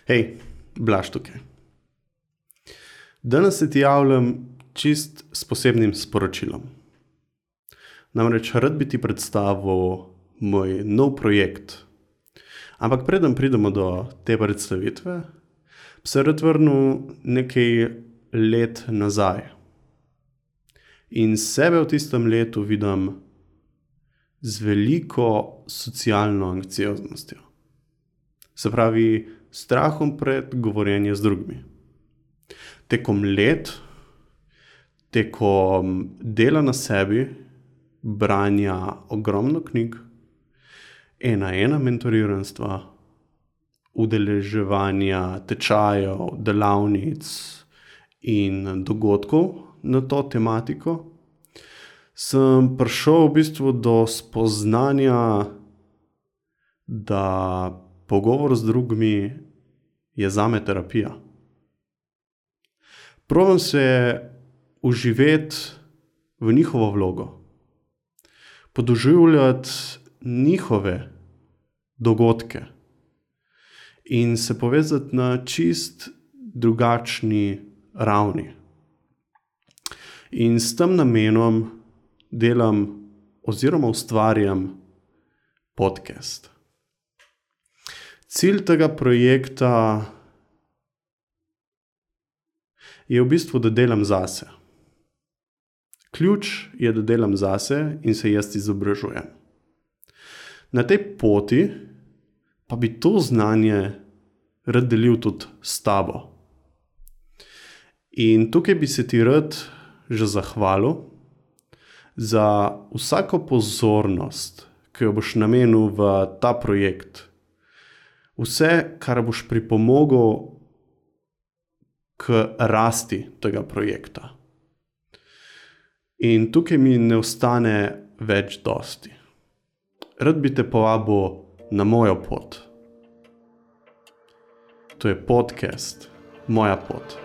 Hej, Blaž tukaj. Danes se ti javljam čist s posebnim sporočilom. Namreč rad bi ti predstavil moj nov projekt. Ampak preden pridemo do te predstavitve, bi se rad vrnil nekaj let nazaj. In sebe v tistem letu vidim z veliko socialno anksioznostjo. Se pravi, strahom pred govorjenjem z drugimi. Tekom let, tekom dela na sebi, branja ogromno knjig, ena mentoriranstva, udeleževanja tečajev, delavnic in dogodkov na to tematiko, sem prišel v bistvu do spoznanja, da pogovor z drugimi je zame terapija. Probam se vživeti v njihovo vlogo, podoživljati njihove dogodke in se povezati na čist drugačni ravni. In s tem namenom delam oziroma ustvarjam podcast. Cilj tega projekta je v bistvu, da delam zase. Ključ je, da delam zase in se jaz izobražujem. Na tej poti pa bi to znanje rad delil tudi s tabo. In tukaj bi se ti rad že zahvalil za vsako pozornost, ki jo boš namenil v ta projekt. Vse, kar boš pripomogel k rasti tega projekta. In tukaj mi ne ostane več dosti. Rad bi te povabil na mojo pot. To je podcast Moja pot.